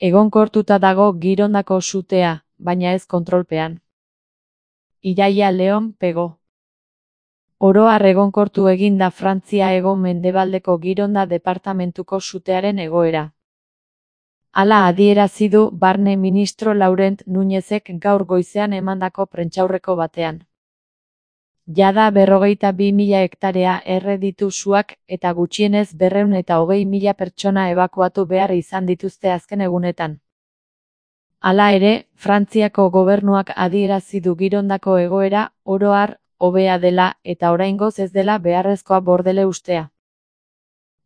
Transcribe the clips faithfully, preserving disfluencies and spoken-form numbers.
Egonkortuta dago Girondako sutea, baina ez kontrolpean. Iraia Leon Pego. Oro har egonkortu egin da Frantzia hego-mendebaldeko Gironda departamentuko sutearen egoera. Hala adierazi du Barne Ministro Laurent Núñezek gaur goizean emandako prentsaurreko batean. Jada berrogeita bi mila hektarea erre ditu suak eta gutxienez berrehun eta hogei mila pertsona ebakuatu behar izan dituzte azken egunetan. Hala ere, Frantziako gobernuak adierazi du Girondako egoera oro har hobea dela eta oraingoz ez dela beharrezkoa bordele ustea.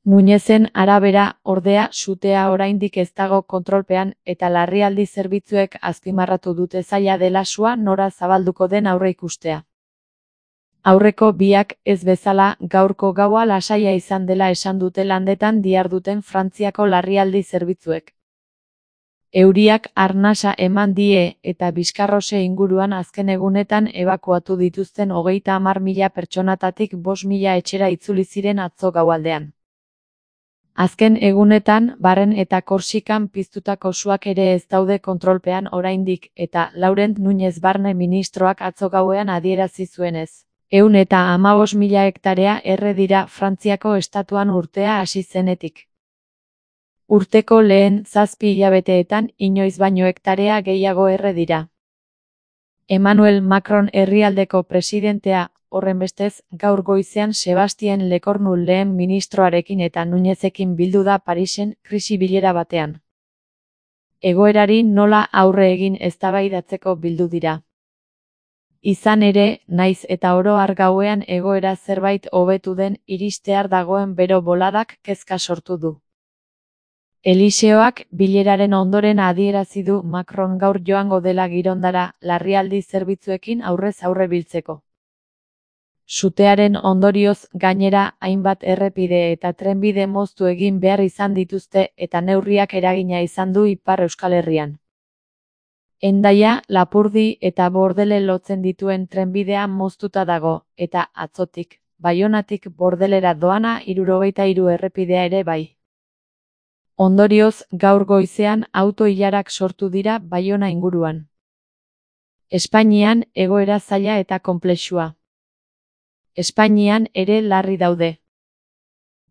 Núñezen arabera, ordea, sutea oraindik ez dago kontrolpean eta larrialdi zerbitzuek azpimarratu dute zaila dela sua nora zabalduko den aurreikustea. Aurreko biak ez bezala gaurko gaua lasaia izan dela esan dute landetan diharduten Frantziako larrialdi zerbitzuek. Euriak arnasa eman die eta Bizkarrose inguruan azken egunetan ebakuatu dituzten hogeita hamar mila pertsonatatik bost mila etxera itzuli ziren atzo gaualdean. Azken egunetan, Barren eta Korsikan piztutako suak ere ez daude kontrolpean oraindik eta Laurent Núñez Barne ministroak atzo gauean adierazi zuenez. Ehun eta hamabost mila hektarea erre dira Frantziako estatuan urtea hasi zenetik. Urteko lehen zazpi hilabeteetan inoiz baino hektarea gehiago erre dira. Emmanuel Macron herrialdeko presidentea, horrenbestez, gaur goizean Sebastien Lecornu lehen ministroarekin eta Núñezekin bildu da Parisen krisi bilera batean. Egoerari nola aurre egin eztabaidatzeko bildu dira. Izan ere, naiz eta oro har gauean egoera zerbait hobetu den iristear dagoen bero boladak kezka sortu du. Eliseoak bileraren ondoren adierazi du Macron gaur joango dela Girondara larrialdi zerbitzuekin aurrez aurre biltzeko. Sutearen ondorioz gainera hainbat errepide eta trenbide moztu egin behar izan dituzte eta neurriak eragina izan du Ipar Euskal Herrian. Hendaia, Lapurdi eta Bordele lotzen dituen trenbidea moztuta dago, eta atzotik, Baionatik Bordelera doana hirurogeita hiru errepidea ere bai. Ondorioz, gaur goizean auto-ilarak sortu dira Baiona inguruan. Espainian egoera zaila eta konplexua. Espainian ere larri daude.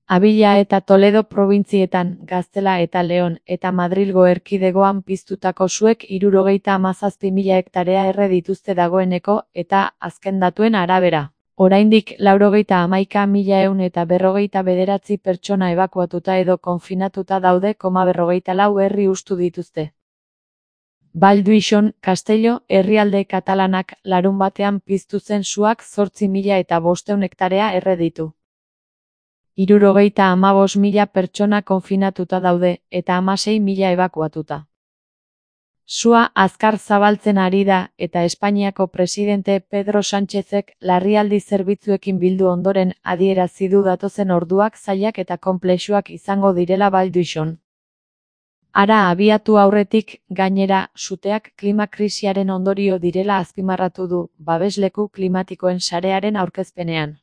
Abila eta Toledo probintzietan, Gaztela eta Leon eta Madrilgo erkidegoan piztutako suek hirurogeita hamazazpi mila hektarea erre dituzte dagoeneko eta azken datuen arabera. Oraindik laurogeita hamaika mila ehun eta berrogeita bederatzi pertsona ebakuatuta edo konfinatuta daude koma berrogeita lau herri hustu dituzte. Val d'Uixon, Castello, herrialde katalanak larun batean piztu zen suak zortzi mila eta bostehun hektarea erre ditu. Hirurogeita hamabost mila pertsona konfinatuta daude eta hamasei mila ebakuatuta. Sua azkar zabaltzen ari da eta Espainiako presidente Pedro Sánchezek larrialdi zerbitzuekin bildu ondoren adierazi du datozen orduak zailak eta konplexuak izango direla Val d'Uixon. Hara abiatu aurretik, gainera, suteak klima krisiaren ondorio direla azpimarratu du babesleku klimatikoen sarearen aurkezpenean.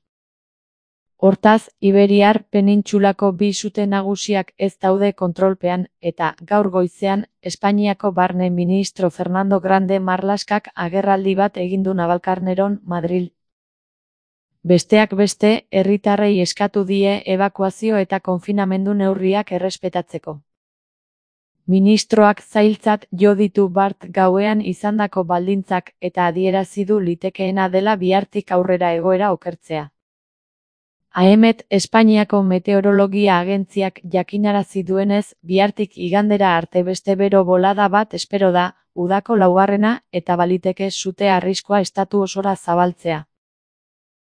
Hortaz, Iberiar penintsulako bi sute nagusiak ez daude kontrolpean eta gaur goizean Espainiako barne ministro Fernando Grande Marlaskak agerraldi bat egin du Navalkarneron, Madril. Besteak beste, herritarrei eskatu die ebakuazio eta konfinamendu neurriak errespetatzeko. Ministroak zailtzat jo ditu bart gauean izandako baldintzak eta adierazi du litekeena dela bihartik aurrera egoera okertzea. Aemet, Espainiako meteorologia agentziak jakinarazi duenez, bihartik igandera arte beste bero bolada bat espero da, udako laugarrena eta baliteke sute arriskua estatu osora zabaltzea.